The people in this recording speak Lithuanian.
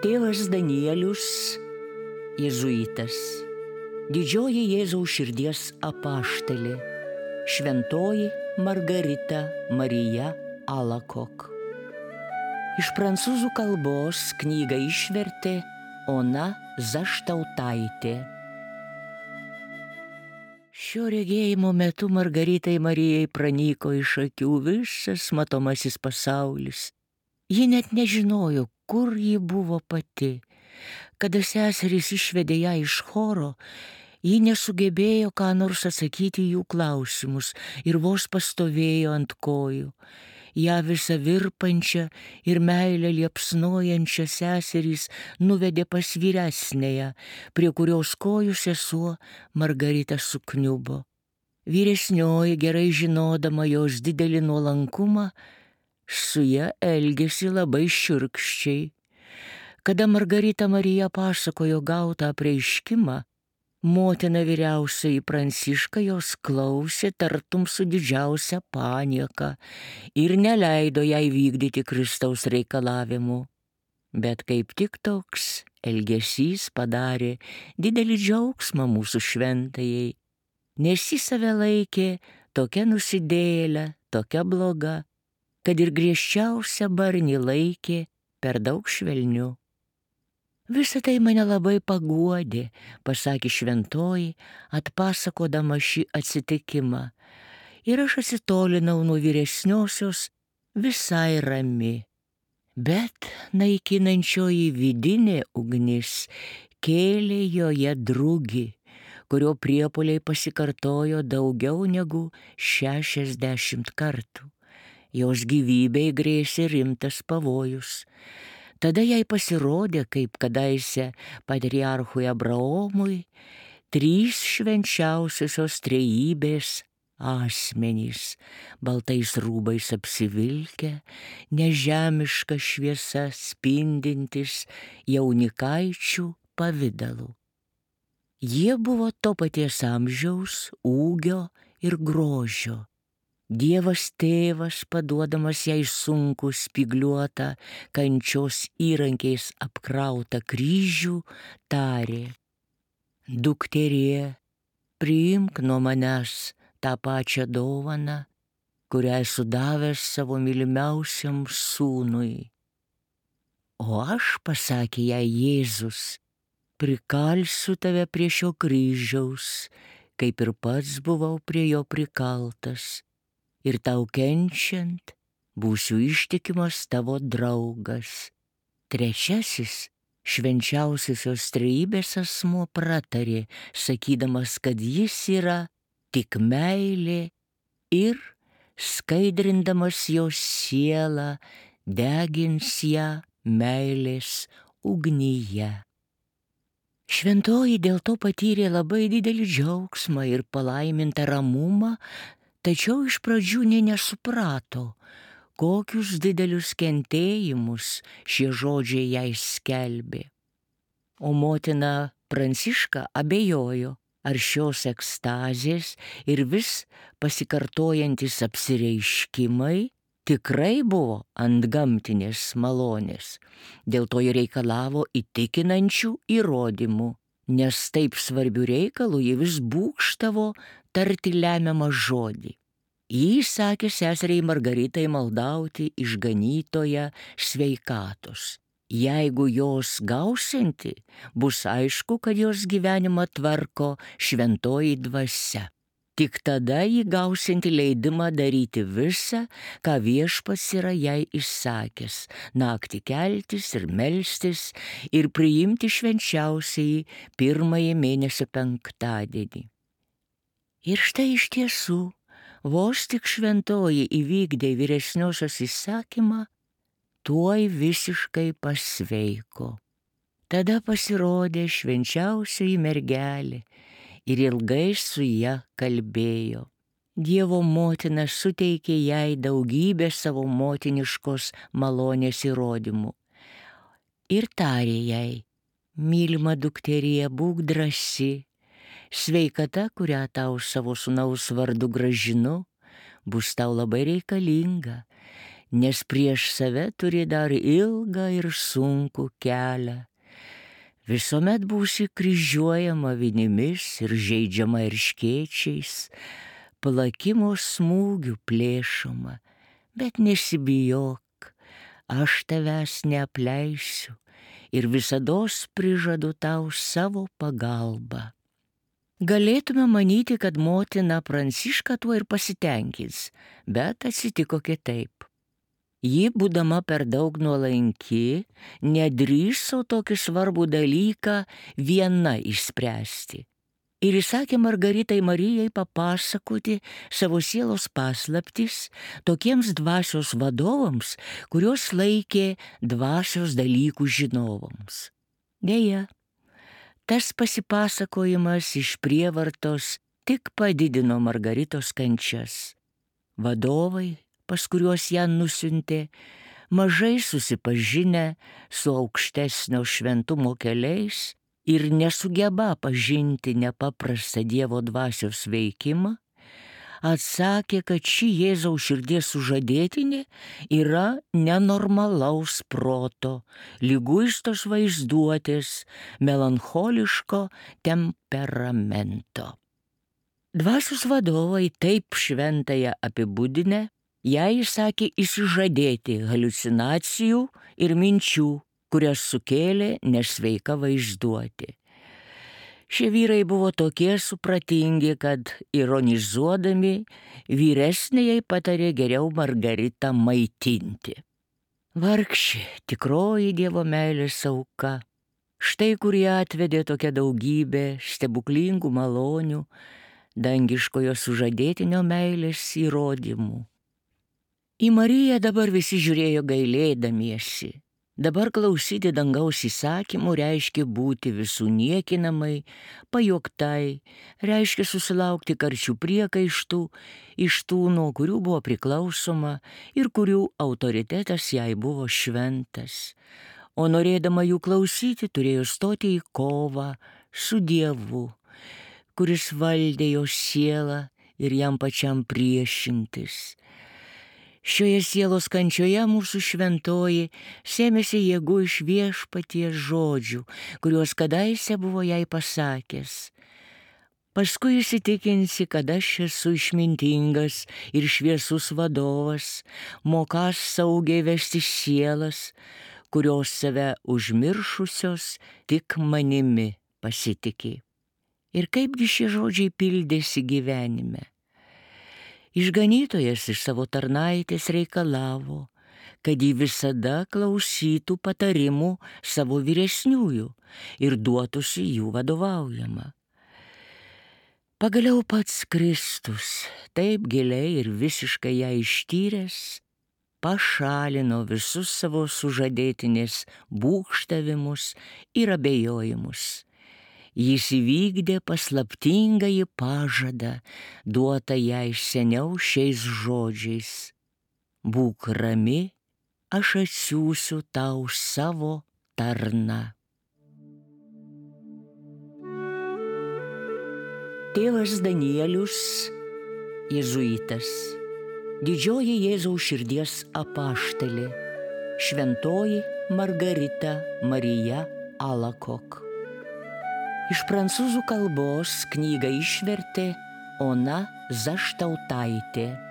Tėvas Danielius, jėzuitas, didžioji Jėzaus širdies apaštalė, šventoji Margarita Marija Alakok. Iš prancūzų kalbos knygą išvertė Ona Zaštautaitė. Šio regėjimo metu Margaritai Marijai pranyko iš akių visas matomasis pasaulis. Ji net nežinojo, kur ji buvo pati. Kada seserys išvedė ją iš choro, ji nesugebėjo ką nors atsakyti jų klausimus ir vos pastovėjo ant kojų. Ja visą virpančią ir meilę liepsnojančią seserys nuvedė pas vyresnėją, prie kurios kojų sesuo Margarita sukniubo. Vyresnioji, gerai žinodama jos didelį nuolankumą, su ja elgėsi labai šiurkščiai. Kada Margarita Marija pasakojo gautą apreiškimą, motina vyriausioji Pranciška jos klausė tartum su didžiausia panieka ir neleido jai vykdyti Kristaus reikalavimų. Bet kaip tik toks elgesys padarė didelį džiaugsmą mūsų šventajai, nes ji save laikė tokia nusidėjėlė, tokia bloga, kad ir griežčiausią barnį laikė per daug švelniu. Visą tai mane labai paguodė, pasakė šventoji, atpasakodama šį atsitikimą. Ir aš atsitolinau nuo vyresniosios visai rami. Bet naikinančioji vidinė ugnis kėlė joje drugį, kurio priepuoliai pasikartojo daugiau negu 60 kartų. Jos gyvybei grėsė rimtas pavojus. Tada jai pasirodė, kaip kadaise patriarchui Abraomui, 3 švenčiausiosios trejybės asmenys, baltais rūbais apsivilkę, nežemiška šviesa spindintis jaunikaičių pavidalu. Jie buvo to paties amžiaus, ūgio ir grožio. Dievas tėvas, paduodamas jai sunkų spygliuotą, kančios įrankiais apkrautą kryžių, tarė: Dukterie, priimk nuo manęs tą pačią dovaną, kurią esu davęs savo mylimiausiam sūnui. O aš, pasakė jai Jėzus, prikalsiu tave prie šio kryžiaus, kaip ir pats buvau prie jo prikaltas. Ir tau kenčiant būsiu ištikimas tavo draugas. Trečiasis švenčiausiosios trejybės asmuo pratarė, sakydamas, kad jis yra tik meilė ir, skaidrindamas jos sielą, degins ją meilės ugnyje. Šventoji dėl to patyrė labai didelį džiaugsmą ir palaimintą ramumą, tačiau iš pradžių nė nesuprato, kokius didelius kentėjimus šie žodžiai jai skelbė. O motina Pranciška abejojo, ar šios ekstazės ir vis pasikartojantis apsireiškimai tikrai buvo antgamtinės malonės. Dėl to ji reikalavo įtikinančių įrodymų, nes taip svarbių reikalų ji vis būgštavo tarti lemiamą žodį. Ji sakė seseriai Margaritai maldauti išganytoją sveikatos. Jeigu jos gausianti, bus aišku, kad jos gyvenimą tvarko šventoji dvasia. Tik tada ji gausianti leidimą daryti visą, ką viešpats yra jai įsakęs, naktį keltis ir melstis ir priimti švenčiausiąjį 1 mėnesio penktadienį. Ir štai iš tiesų, vos tik šventoji įvykdė vyresniosios įsakymą, tuoj visiškai pasveiko. Tada pasirodė švenčiausioji mergelė ir ilgai su ja kalbėjo. Dievo motina suteikė jai daugybę savo motiniškos malonės įrodymų. Ir tarė jai: mylima dukterie, būk drąsi, sveikata, kurią tau savo sūnaus vardu grąžinu, bus tau labai reikalinga, nes prieš save turi dar ilgą ir sunkų kelią. Visuomet būsi kryžiuojama vinimis ir žeidžiama erškėčiais, plakimo smūgių plėšoma, bet nesibijok, aš tavęs neapleisiu ir visados prižadu tau savo pagalbą. Galėtume manyti, kad motina Pranciška tuo ir pasitenkins, bet atsitiko kitaip. Ji, būdama per daug nuolanki, nedrįso tokį svarbų dalyką viena išspręsti. Ir įsakė Margaritai Marijai papasakoti savo sielos paslaptis tokiems dvasios vadovams, kuriuos laikė dvasios dalykų žinovams. Deja, tas pasipasakojimas iš prievartos tik padidino Margaritos kančias. Vadovai, pas kuriuos ją nusiuntė, mažai susipažinę su aukštesnio šventumo keliais ir nesugeba pažinti nepaprastą Dievo dvasios veikimą, atsakė, kad ši Jėzaus širdies sužadėtinė yra nenormalaus proto, liguistos vaizduotės, melancholiško temperamento. Dvasios vadovai taip šventąją apibūdinę, jai įsakė išsižadėti haliucinacijų ir minčių, kurias sukėlė nesveika vaizduotė. Šie vyrai buvo tokie supratingi, kad ironizuodami vyresnėjai patarė geriau Margaritą maitinti. Vargšė, tikroji Dievo meilės auka, štai kur ją atvedė tokia daugybė stebuklingų malonių, dangiškojo sužadėtinio meilės įrodymų. Į Mariją dabar visi žiūrėjo gailėdamiesi. Dabar klausyti dangaus įsakymų reiškia būti visų niekinamai, pajuoktai, reiškia susilaukti karčių priekaištų iš tų, nuo kurių buvo priklausoma ir kurių autoritetas jai buvo šventas. O norėdama jų klausyti, turėjo stoti į kovą su Dievu, kuris valdė jo sielą ir jam pačiam priešintis. Šioje sielos kančioje mūsų šventoji sėmėsi jėgų iš Viešpaties žodžių, kuriuos kadaise buvo jai pasakęs. Paskui įsitikinsi, kad aš esu išmintingas ir šviesus vadovas, mokąs saugiai vesti sielas, kurios save užmiršusios tik manimi pasitiki. Ir kaipgi šie žodžiai pildėsi gyvenime? Išganytojas iš savo tarnaitės reikalavo, kad ji visada klausytų patarimų savo vyresniųjų ir duotųsi jų vadovaujama. Pagaliau pats Kristus, taip giliai ir visiškai ją ištyręs, pašalino visus savo sužadėtinės būgštavimus ir abejojimus. Jis įvykdė paslaptingąjį pažadą, duotą jai seniau šiais žodžiais. Būk rami, aš atsiųsiu tau savo tarną. Tėvas Danielius, jėzuitas, didžioji Jėzaus širdies apaštalė, šventoji Margarita Marija Alacoque. Iš prancūzų kalbos knygą išvertė Ona Zaštautaitė.